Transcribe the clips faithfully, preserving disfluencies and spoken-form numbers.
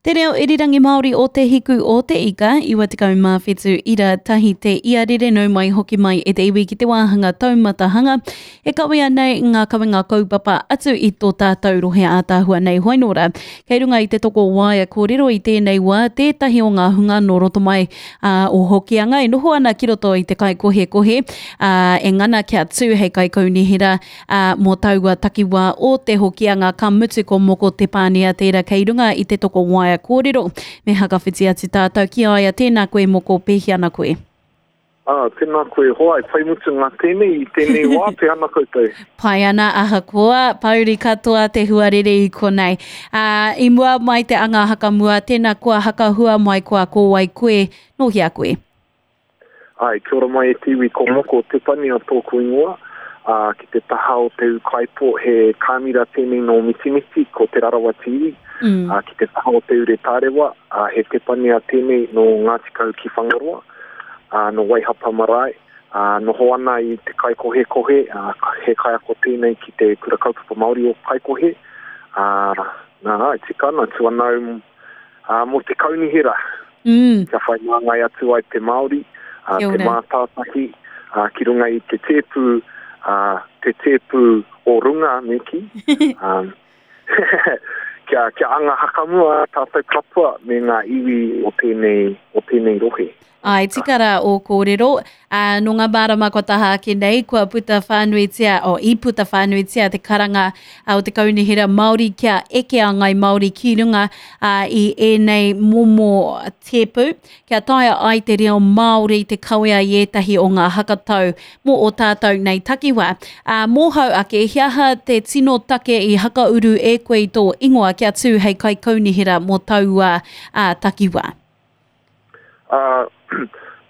Te reo irirangi Māori o Te Hiku o Te Ika, iwa tekau mā whitu ira tahi te iarere nau mai hoki mai e te iwi ki te wāhanga taumatahanga e kawea nei ngā kawenga kaupapa atu i tō tātou rohe ātaahua nei hoinora. Kei runga i te toko waea kōrero i tēnei wā tētahi o ngā hunga nō roto mai ā, o Hokianga e noho ana ki roto i te kaikohekohe ā, e ngana kia tū hei kaikaunihera ā, mō taua takiwā o te Hokianga ka mutu ko Moko Te Pānia tērā kei runga i te toko waea kōrero. Me hakawhiti atu tātou ki a ia, tēnā koe Moko, pēhi ana koe? Ah, tēnā koe hoa, e pai mutunga tēnei i tēnei wā, pē ana koutou. Pai ana ahakoa, pauri katoa te huarere i konei. Ā, i mua mai te anga hakamua, tēnā koa hakahua mai koa ko wai koe, nō hea koe? Āe, kia ora mai e te iwi, ko Moko Tepania tōku ingoa, ā, ki te taha o te ūkaipō, he kāmira tēnei nō Mitimiti, ko Te Rarawa te iwi, mm. ā, ki te taha o Te Ure Tārewa, ā, he tepania tēnei nō Ngāti Kahu ki Whangaroa, ā, nō Waihapa marae, ā, noho ana i te Kaikohekohe, ā, he kaiako tēnei ki te Kura Kaupapa Māori o Kaikohe, ā, nā, āe, tika ana, tū ana au, ā, mō te kaunihera, mm. kia whai māngai atu ai te Māori, uh, te mātātahi, uh, ki runga i te tēpu, uh, te tēpu o runga, me kī. um, kia, kia anga hakamua tātou katoa me ngā iwi o tēnei, o tēnei rohe. Ai, tika rā ō kōrero. Ā, nō ngā marama kua taha ake nei, kua puta whānuitia, oh, i puta whānuitia te karanga o te Kaunihera Māori kia eke a Ngai Māori ki runga ā, i ēnei momo tēpu, kia taea ai te reo Māori te kawea i ētahi o ngā hakatau mō ō tātou nei takiwā. Ā, mōhau ake, he aha te tino take i hakauru e koe i tō ingoa kia tū hei kaikaunihera mō taua ā, takiwā? Ā,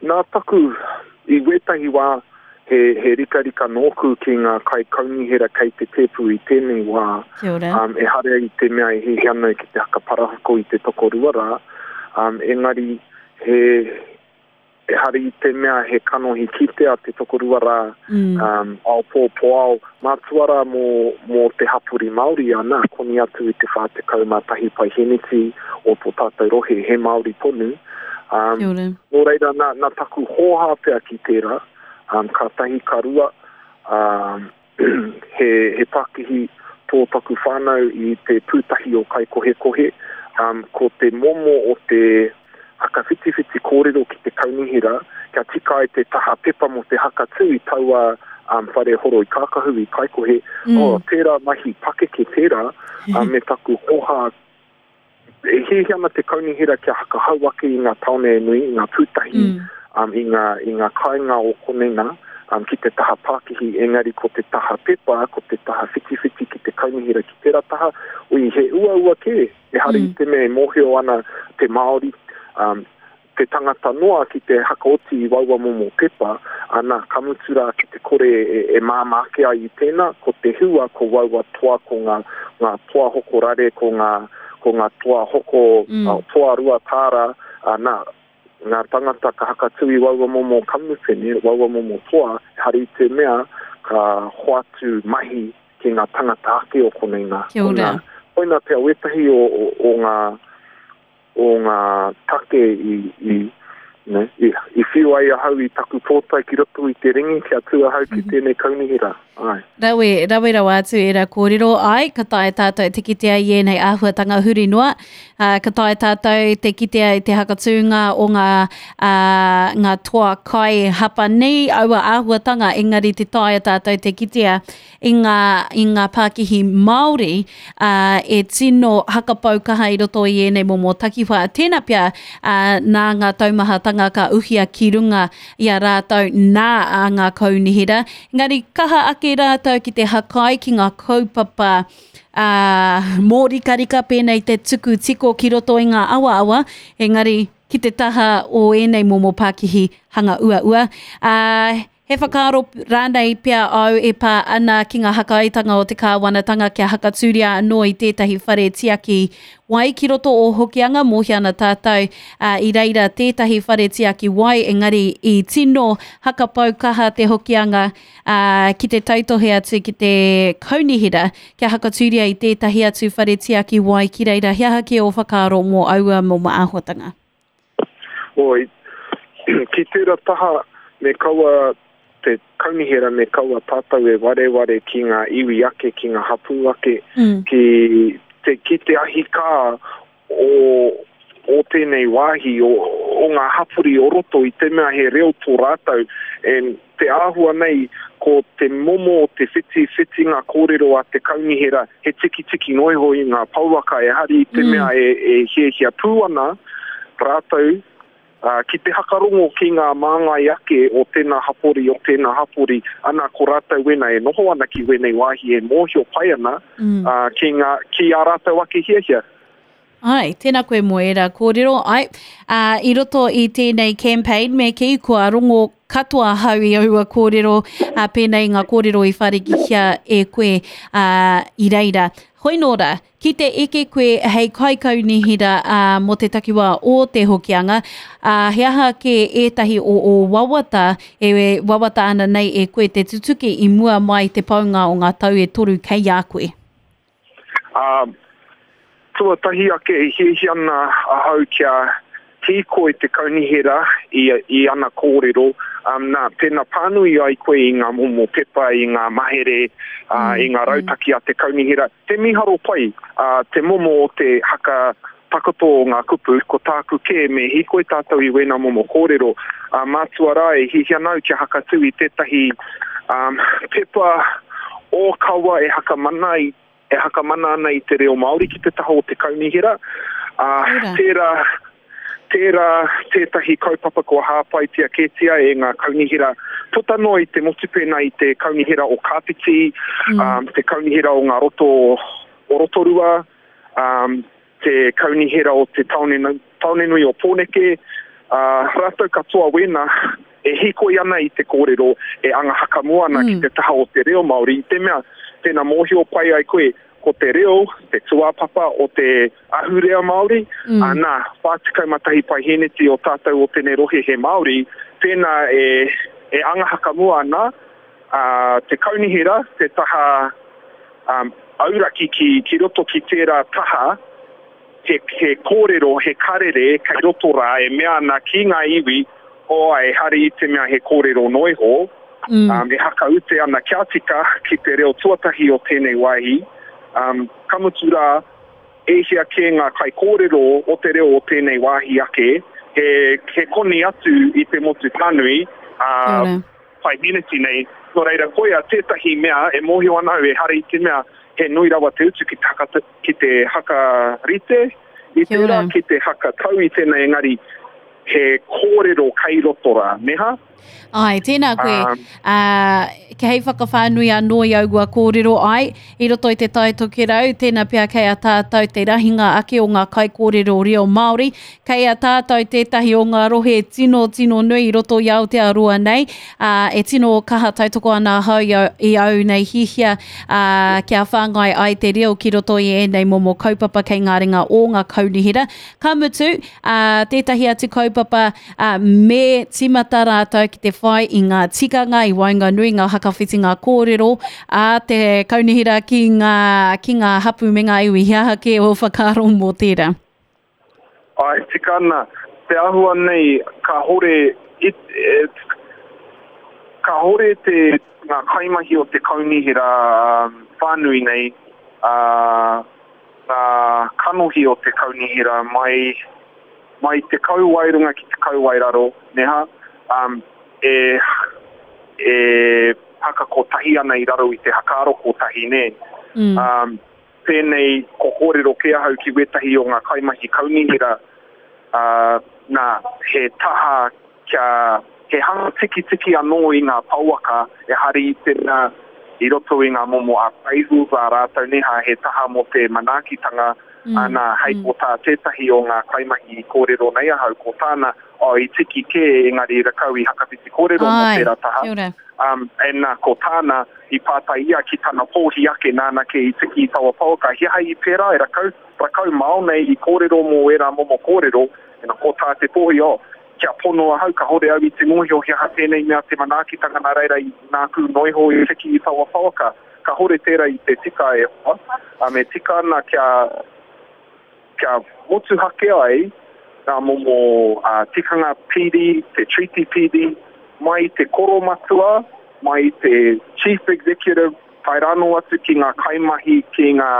nā taku, i wētahi wā, he, he rikarika nōku ki ngā kaikaunihera kei te tēpu i tēnei wā. Kia ora. Um, ehara i te mea e hiahia ana ki te hakaparahako i te tokorua rā, um, engari he, ehara i te mea he kanohi kitea te tokorua rā, mm. um, ao pō, pō ao, mātua rā mō, mō te hapori Māori, ana, koni atu i te whā tekau mā tahi paiheneti o tō tātou rohe, he Māori tonu. Um, Kia ora. Nō reira, nā, nā taku hōhā pea ki tērā, um, ka tahi, ka rua, um, he, he pakihi tō taku whānau i te pūtahi o Kaikohekohe, um, ko te momo o te hakawhitiwhiti kōrero ki te kaunihera, kia tika ai te taha pepa mō te hakatū i taua um, whare horo i Kākahu, i Kaikohe, Mm. oh, tērā mahi pakeke tērā, um, me taku hōhā. E hiahia ana te kaunihera kia hakahau ake i ngā tāone nui, i ngā pūtahi, mm. um, i ngā, i ngā kāinga o konei nā, um, ki te taha pākihi, engari ko te taha pepa, ko te taha whitiwhiti ki te kaunihera ki tērā taha, ui, he uaua kē, ehara mm. i te mea e mōhio ana te Māori, um, te tangata noa ki te hakaoti i waua momo pepa, ana, ka mutu rā ki te kore e, e māmā ake ai i tēnā, ko te hua, ko waua toa, ko ngā, ngā toa hoko rare, ko ngā, ko ngā toa hoko, mm. uh, toa rua tāra, ana, ngā tangata ka hakatū i waua momo kamupene, waua momo toa, hari te mea ka hoatu mahi ki ngā tangata ake o konei nā. Kia ora. Koina, koina pea wētahi o, o, o ngā o ngā take i, i, ne, i, i whiu ai ahau i taku pōtae ki roto i te ringi kia tū ahau ki tēnei kaunihera. Ai. Rawe, rawe rawa atu e rā kōrero, ai, ka taea tātou te kitea i ēnei āhuatanga huri noa, uh, ka taea tātou te kitea i te hakatūnga o ngā, uh, ngā toa kai Hapanī, aua āhuatanga, engari te taea tātou te kitea i ngā, i ngā pākihi Māori uh, e tino hakapau kaha i roto i ēnei momo takiwā. Tēnā pea uh, nā ngā taumahatanga ka uhia ki runga i a rātou nā a ngā kaunihera. Engari kaha ake rātou ki te hakai ki ngā kaupapa uh, mōrikarika pēnei te tuku tiko ki roto i ngā awaawa, engari ki te taha o ēnei momo pākihi hanga uaua. Uh, He whakaaro rānei pea au e pā ana ki ngā hakaitanga o te kāwanatanga kia hakatūria anō i tētahi whare tiaki wai ki roto o Hokianga, mōhio ana tātou uh, i reira tētahi whare tiaki wai, engari i tino hakapau kaha te Hokianga uh, ki te tautohe atu ki te kaunihera kia hakatūria i tētahi atu whare tiaki wai ki reira. He aha ki o whakaaro mō aua mō āhuatanga? Oi, ki tērā taha me kaua te kaunihera me kaua tātou e wareware ki ngā iwi ake, ki ngā hapū ake, mm. ki te, ki te ahi kā o, o tēnei wāhi, o, o ngā hapori o roto i te mea he reo tō rātou. And te āhua nei, ko te momo o te whiti, whiti ngā kōrero a te kaunihera, he tikitiki noiho i ngā pouaka e hari i te mm. mea e, e hiahia pū ana rātou, Uh, ki te hakarongo ki ngā māngai ake o tēnā hapori, o tēnā hapori, ana ko rātou wena e noho ana ki wēnei wāhi e mōhio pai ana mm. uh, ki, ngā, ki ā rātou ake hiahia. Ai, tēnā koe mō ērā kōrero. Ai, uh, i roto i tēnei campaign me ki kua rongo katoa hau i aua kōrero, uh, pēnei ngā kōrero i wharikihia e koe uh, i reira. Hoi nōra, ki te eke koe hei kaikaunihera uh, mō te takiwā o te Hokianga, uh, he aha ke ētahi o o wawata, e wawata ana nei e koe te tutuki i mua mai te paunga o ngā tau e toru kei a koe? Uh, tuatahi ake e hiahia ana ahau kia hīkoi te kaunihera i, i ana kōrero. Um, nā, tēnā pānui ai koe i ngā momo pepa, i ngā mahere, uh, Mm, i ngā rautaki a te kaunihera. Te miharo pai, uh, te momo o te haka takoto o ngā kupu, ko tāku kē me hīkoi tātou i wēnā momo kōrero. Uh, mātua rā e hiahia nau kia hakatū i tētahi um, pepa ōkawa e hakamana i, e hakamana ana i te reo Māori ki te taha o te kaunihera. Uh, tērā, tērā tētahi kaupapa kua hāpaitia kētia e ngā kaunihera puta noa i te motu pēnā i te kaunihera o Kāpiti, mm. um, te kaunihera o ngā roto o Rotorua, um, te kaunihera o te taone, taone nui o Pōneke, uh, rātou katoa wēnā e hīkoi ana i te kōrero, e anga hakamua ana mm. ki te taha o te reo Māori. I te mea, tēnā mōhio pai ai koe, ko te reo, te tūāpapa o te ahurea Māori, mm. ana, whā tekau mā tahi paihēneti o tātou o tēnei rohe he Māori, tēnā e, e anga hakamua ana, uh, te kaunihera, te taha um, auraki ki, ki roto ki tērā taha, he, he kōrero, he karere, kei roto rā, e mea ana ki ngā iwi, o e hari i te mea he kōrero noiho, mm. um, e hakaute ana kia tika ki te reo tuatahi o tēnei wāhi, um, ka mutu rā, e hia kē ngā kaikōrero o te reo o tēnei wāhi ake, he, he koni atu i te motu whānui, uh, paihēneti nei, nō reira koia tētahi mea e mōhio ana au e hari i te mea he nui rawa te utu ki te haka, ki te hakarite i tērā, ki te hakatau i tēnei engari he kōrero kei roto rā, neha? Ai, tēnā koe, Um, uh, hei whakawhānui anō i aua kōrero ai, i roto i te Tai Tokerau, tēnā pea kei a tātou te rahinga ake o ngā kaikōrero reo Māori, kei a tātou tētahi o ngā rohe tino tino nui i roto i Aotearoa nei, uh, e tino kaha tautoko ana ahau i au, i au nei hihia uh, kia whāngai ai te reo ki roto i ēnei momo kaupapa kei ngā ringa o ngā kaunihera. Ka mutu, uh, tētahi atu kaupapa uh, me tīmata rātou ki te whai i ngā tikanga, i waenganui ngā hakawhitinga kōrero a te kaunihera ki ngā, ki ngā hapu me ngā iwi. He aha kē o whakaaro mō tērā? Ai, tika ana, te āhua nei ka hore, it, it, ka hore te ngā kaimahi o te kaunihera um, whānui nei, uh, ngā kanohi o te kaunihera mai, mai te kauae runga ki te kauae raro, neha, um, e, e haka kotahi ana i raro i te hakaaro kotahi, nē. Mm. Um, pēnei ko kōrero kē ahau ki wētahi o ngā kaimahi kaunihera, uh, nā, he taha kia, he hanga tikitiki anō i ngā pouaka e hari i te mea i roto i ngā momo a paihu a rātou neha, he taha mō te manaakitanga, Mm. Ana, hei mm. ko tā tētahi o ngā kaimahi i kōrero nei ahau, ko tāna, oh, i tiki kē engari rakau i hakawhiti kōrero mō tērā taha. Um, and nā, ko tāna i pātai ia ki tana pōhi ake nāna ke i tiki i taua pouaka. He aha i pērā e rakau, rakau mao nei i kōrero mō ērā momo kōrero, e nā, ko tā te pōhi, oh, kia pono ahau, ka hore au i te mōhio he aha tēnei mea te manaakitanga nā reira i nāku noiho i tiki i taua pouaka. Ka hore tērā i te tika e hoa. Um, e tika ana kia kia motuhake ai ngā momo uh, tikanga P D, te Treaty P D, mai te koromatua, mai te Chief Executive, tae rānō atu ki ngā kaimahi, ki ngā,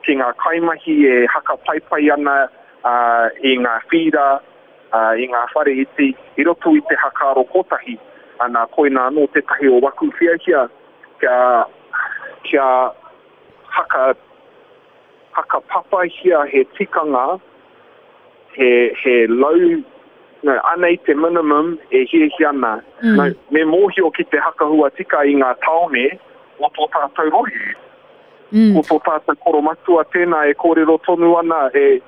ki ngā kaimahi e hakapaipai ana uh, i ngā whīra, uh, i ngā whare iti, i roto i te hakaaro kotahi. Ana, koina anō tētahi o waku whiahia kia, kia haka hakapapahia he tikanga, he, he low, no, anei te minimum e hiahia ana. Mm. No, me mōhio ki te hakahua tika i ngā tāone o tō tātou rohe. Mm. Ko tō tātou koromatua tēnā e kōrero tonu ana, e,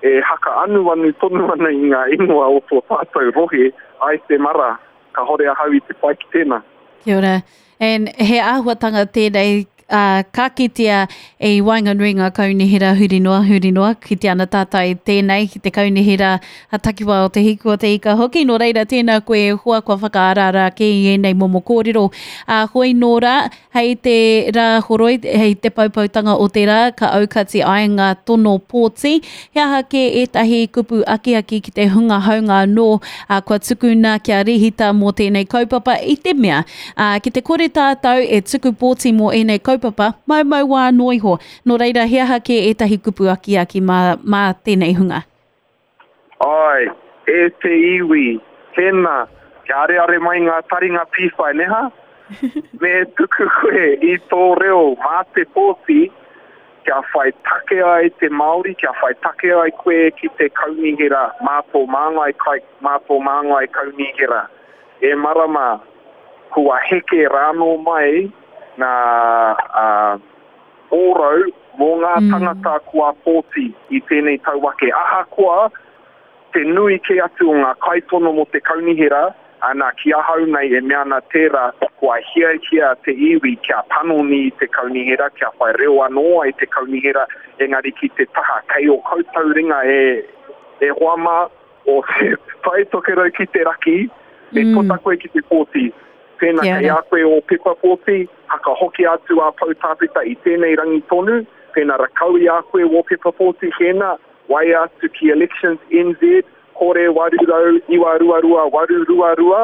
e haka anuanu tonu ana i ngā ingoa o tō tātou rohe, ai te mara, ka hore ahau i te pai ki tēnā. Kia ora. And he āhuatanga tēnei Uh, ka kitea e waenganui ngā kaunihera huri noa, huri noa, ki te ana tātai tēnei, ki te kaunihera a takiwā o te hiku o te ika hoki. Nō reira, tēnā koe e hoa kua whakaaraara ake i ēnei momo kōrero. Uh, hoi nō rā, hei te rā horoi, hei te poupoutanga o te rā, ka aukati ai ngā tono pōti. He aha kē ētahi kupu akiaki ki te hunga haunga anō, uh, kua tukuna kia rehita mō tēnei kaupapa i te mea. Uh, ki te kore tātou e tuku pōti mō ēnei kaupapa, mau mau wā anō iho. Nō reira, he aha kē ētahi kupu akiaki mā, mā tēnei hunga? Ai, e te iwi, tēnā, kia areare mai ngā taringa pīwhai, neha? Me tuku koe i tō reo mā te pōti, kia whai take ai te Māori, kia whai take ai koe ki te kaunihera, mā tō māngai, kai, mā tō māngai kaunihera. E marama, kua heke rānō mai ngā uh, ōrau mō ngā mm. tangata kua pōti i tēnei tau ake. Ahakoa, te nui kē atu o ngā kaitono mō te kaunihera, ana ki ahau nei e mea ana tērā kua hiahia te iwi kia panoni i te kaunihera, kia whai reo anō ai te kaunihera, engari ki te taha kei o koutou ringa e, e hoa mā o te Tai Tokerau ki te raki, me mm. puta koe ki te pōti. Tēnā kei a koe o pepa pōti, hakahoki atu a Poutāpeta i tēnei rangi tonu, tēnā rakau i a koe o pepa pōti hēnā, waia atu ki Elections N Z, kore waru rau, iwa rua rua, waru rua rua,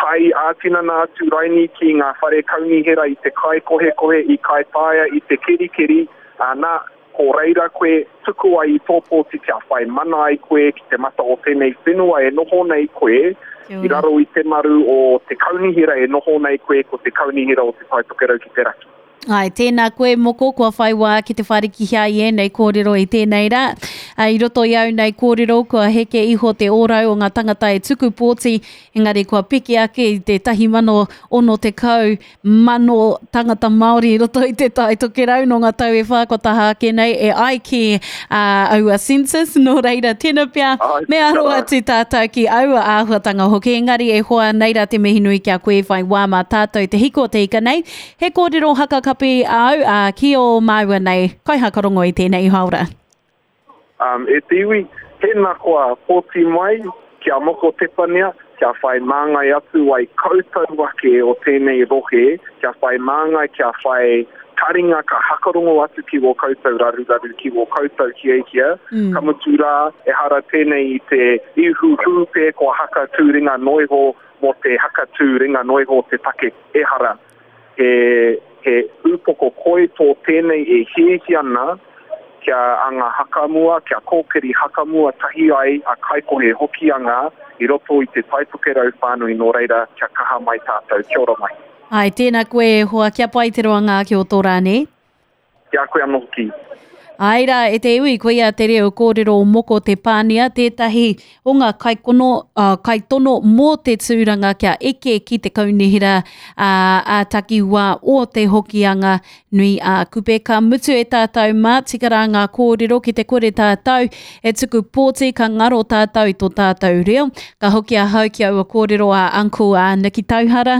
tai ā-tinana atu raini ki ngā whare kaunihera i te kai kohekohe, i kai taia, i te kerikeri, ana, ko reira koe tuku ai i tō pōti kia whai mana ai koe ki te mata o tēnei whenua e noho nei koe, i raro i te maru o te kaunihera e noho nei koe ko te kaunihera o te Tai Tokerau ki te raki. Ai, tēnā koe moko, kua whai wā ki te wharikihia i ēnei kōrero i tēnei rā. I roto i au nei kōrero, kua heke iho te ōrau o ngā tangata e tuku pōti, engari kua piki ake i te tahi mano ono tekau mano tangata Māori i roto i te Tai Tokerau nō ngā tau e whā kua taha ake nei e ai ki uh, aua census, nō reira tēnā pea, me aro atu tātou ki aua āhuatanga hoki, engari e hoa nei rā te mihi nui kia koe whai wā mā tātou te hiko te ika nei. He kōrero hakakapi au uh, ki o māua nei, kai hakarongo i tēnei haora. Um, e te iwi, tēnā koa pōti mai, kia moko tepania, kia whai māngai atu ai koutou ake o tēnei rohe, kia whai māngai, kia whai taringa ka hakarongo atu ki wō koutou raruraru, ki wō koutou hiahia. Mm. Ka mutu rā, e hara tēnei i te ihu hūpē kua haka tūringa noiho mō te haka tūringa noiho te take e hara. He, he upoko koi tō tēnei e hiahia ana, kia anga hakamua, kia kōkiri hakamua tahi ai a kaikohe hokianga i roto i te Tai Tokerau whānui, nō reira kia kaha mai tātou. Kia ora mai. Ai, tēnā koe e hoa, kia pai te roanga ake o tō rā, nē? Kia koe anō hoki. Ai rā, e te iwi, koia te reo kōrero o Moko Te Pānia, tētahi o ngā kaikono, uh, kaitono mō te tūranga kia eke ki te kaunihera ā, ā takiwā o te Hokianga nui a Kupe. Ka mutu e tātou mā, tika rā ngā kōrero ki te kore tātou e tuku pōti ka ngaro tātou i tō tātou reo. Ka hoki ahau ki aua kōrero a Uncle a Niki Tauhara,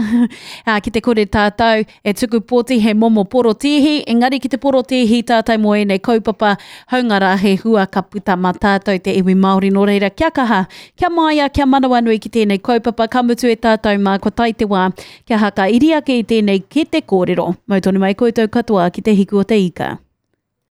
ā, ki te kore tātou e tuku pōti he momo porotēhi, engari ki te porotēhi tātou mō ēnei kaupapa haunga rā he hua ka puta mā tātou te iwi Māori. Nō reira, kia kaha, kia māia, kia manawanui ki tēnei kaupapa, ka mutu e tātou mā, kua tae te wā kia haka iri ake i tēnei kete kōrero. Mau tonu mai koutou katoa ki te hiku o te ika.